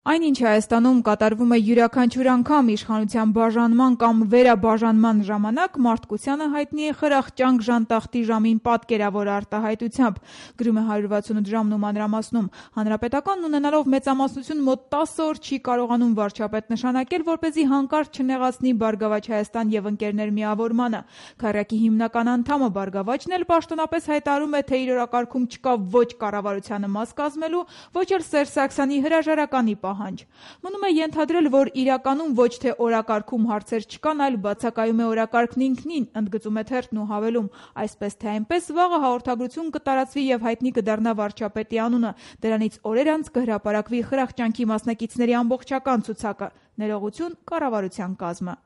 Այն, ինչ Հայաստանում կատարվում է յուրաքանչյուր անգամ իշխանության բաժանման կամ վերաբաժանման ժամանակ, մարդկությանը հայտնի է խրախճանք ժանտախտի ժամին պատկերավոր արտահայտությամբ, գրում է 168 ժամն ու մանրամասնում։ Հանրապետականն ունենալով մեծամասնություն մոտ 10 օր չի կարողանում վարչապետ նշանակել, որպեսզի հանկարծ չնեղացնի Բարգավաճ Հայաստան եւ ընկերներ միավորմանը։ Քառյակի հիմնական անդամը Բարգավաճն էլ պաշտոնապես հայտարարում է, թե իր օրակարգում չկա ոչ կառավարությանը մաս կազմելու, ոչ էլ Սերժ Սարգսյանի հրաժարականի պահանջ։ Մնում է ենթադրել, որ իրականում ոչ թե օրակարգում հարցեր չկան, այլ բացակայում է օրակարգն ինքնին, ընդգծում է թերթն ու հավելում. այսպես թե այնպես վաղը հաղորդագրություն կտարածվի եւ հայտնի կդառնա վարչապետի անունը։ Դրանից օրեր անց կհրապարակվի խրախճանքի մասնակիցների ամբողջական ցուցակը։ Ներողություն կառավարության կազմը։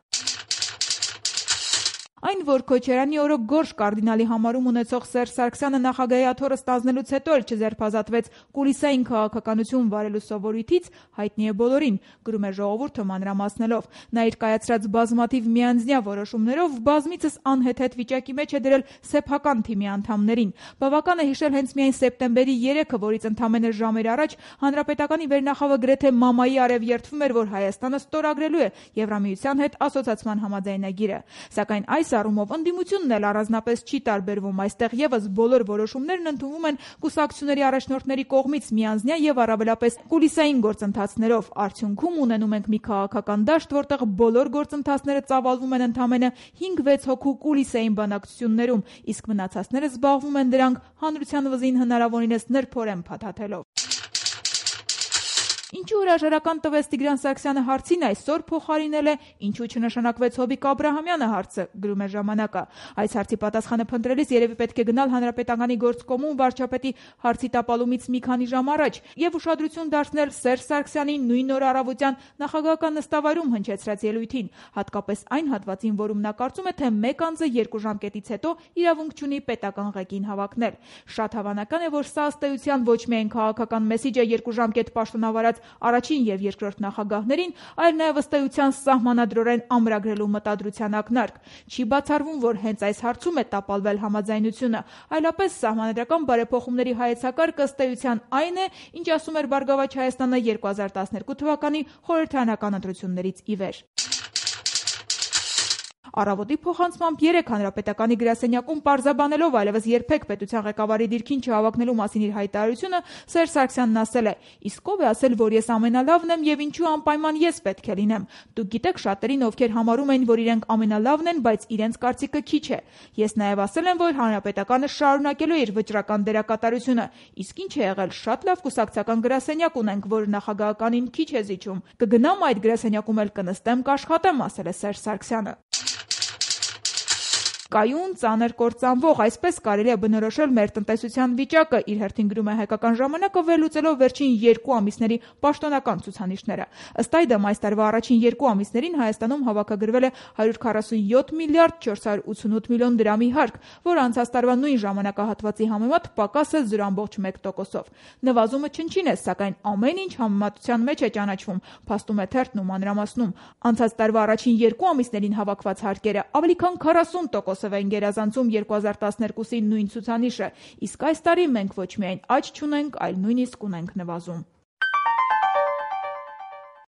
Այն, որ Քոչարյանի օրոք Գորշ կարդինալի համարում ունեցող Սերժ Սարգսյանը նախագահի աթոռը ստանձնելուց հետո էլ չձերբազատվեց կուլիսային քաղաքականություն վարելու սովորույթից, հայտնի է բոլորին, գրում է Ժողովուրդը մանրամասնելով։ Նա իր կայացրած բազմաթիվ միանձնյա որոշումներով բազմիցս անհեթեթ վիճակի մեջ է դրել սեփական թիմի անդամներին։ Բավական է հիշել հենց միայն սեպտեմբերի 3-ը, որից ընդամենը ժամեր առաջ Հանրապետականի վերնախավը գրեթե մամայի արև երդվում էր, որ Հայաստանը ստորագրելու է Եվրամիության հետ ասոցացման համաձայնագիրը։ Սակայն այս առումով ընդդիմությունն էլ առանձնապես չի տարբերվում։ Այստեղ եւս բոլոր որոշումներն ընդունվում են կուսակցությունների առաջնորդների կողմից միանձնյա եւ առավելապես կուլիսային գործընթացներով։ Արդյունքում ունենում ենք մի քաղաքական դաշտ, որտեղ բոլոր գործընթացները ծավալվում են ընդամենը 5-6 հոգու կուլիսային բանակցություններում, իսկ մնացածները զբաղվում են դրանք հանրության վզին հնարավորինս նրբորեն փաթաթելով։ Ինչու հրաժարական տվեց Տիգրան Սարգսյանը հարցին այսօր փոխարինել է ինչու չնշանակվեց Հովիկ Աբրահամյանը հարցը, գրում է Ժամանակը։ Այս հարցի պատասխանը փնտրելիս երևի պետք է գնալ Հանրապետականի գործկոմում վարչապետի հարցի տապալումից մի քանի ժամ առաջ եւ ուշադրություն դարձնել Սերժ Սարգսյանի նույն օր առավոտյան նախագահական նստավայրում հնչեցրած ելույթին, հատկապես այն հատվածին, որում նա կարծում է, թե մեկ անձը 2 ժամկետից հետո իրավունք չունի պետական ղեկին հավակնել։ Շատ հավանական է, որ սա ըստ էության ոչ միայն քաղաքական մեսիջ է 2 ժամկետ պաշտոնավարած առաջին եւ երկրորդ նախագահներին, այլ նաեւ ըստ էության սահմանադրորեն ամրագրելու մտադրության ակնարկ։ Չի բացառվում, որ հենց այս հարցում է տապալվել համաձայնությունը, այլապես սահմանադրական բարեփոխումների հայեցակարգը ըստ էության այն է, ինչ ասում էր Բարգավաճ Հայաստանը 2012 թվականի խորհրդարանական ընտրություններից ի վեր։ Առավոտի փոխանցմամբ 3 Հանրապետականի գրասենյակում պարզաբանելով այլևս երբեք պետության ղեկավարի դիրքին չհավաքնելու մասին իր հայտարարությունը, Սերժ Սարգսյանն ասել է. իսկ ով է ասել, որ ես ամենալավն եմ եւ ինչու անպայման ես պետք է լինեմ։ Դուք գիտեք շատերին, ովքեր համարում են, որ իրենք ամենալավն են, բայց իրենց կարծիքը քիչ է։ Ես նաեւ ասել եմ, որ Հանրապետականը շարունակելու է իր վճռական դերակատարությունը։ Իսկ ինչ է եղել, շատ լավ կուսակցական գրասենյակ ունենք, որ նախագահականին քիչ է զիջում։ Կգնամ այդ գրասենյակում էլ կնստեմ, կաշխատեմ, ասել է Սերժ Սարգսյանը։ Կայուն, ծանր կործանվող, այսպես կարելի է բնորոշել մեր տնտեսության վիճակը, իր հերթին գրում է Հայկական ժամանակը, վերլուծելով վերջին 2 ամիսների պաշտոնական ցուցանիշները։ Ըստ այդմ այս տարվա առաջին 2 ամիսներին Հայաստանում հավաքագրվել է 147 միլիարդ 488 միլիոն դրամի հարկ, որը անցած տարվա նույն ժամանակահատվածի համեմատ պակաս է 0.1%-ով։ Նվազումը չնչին է, սակայն ամեն ինչ համեմատության մեջ է ճանաչվում, փաստում է թերթն ու մանրամասնում։ Անցած տարվա առաջին 2 ամիսներին հավաքված հարկերը ավելի քան 40% են գերազանցում 2012-ի նույն ցուցանիշը, իսկ այս տարի մենք ոչ միայն աճ չունենք, այլ նույնիսկ ունենք նվազում։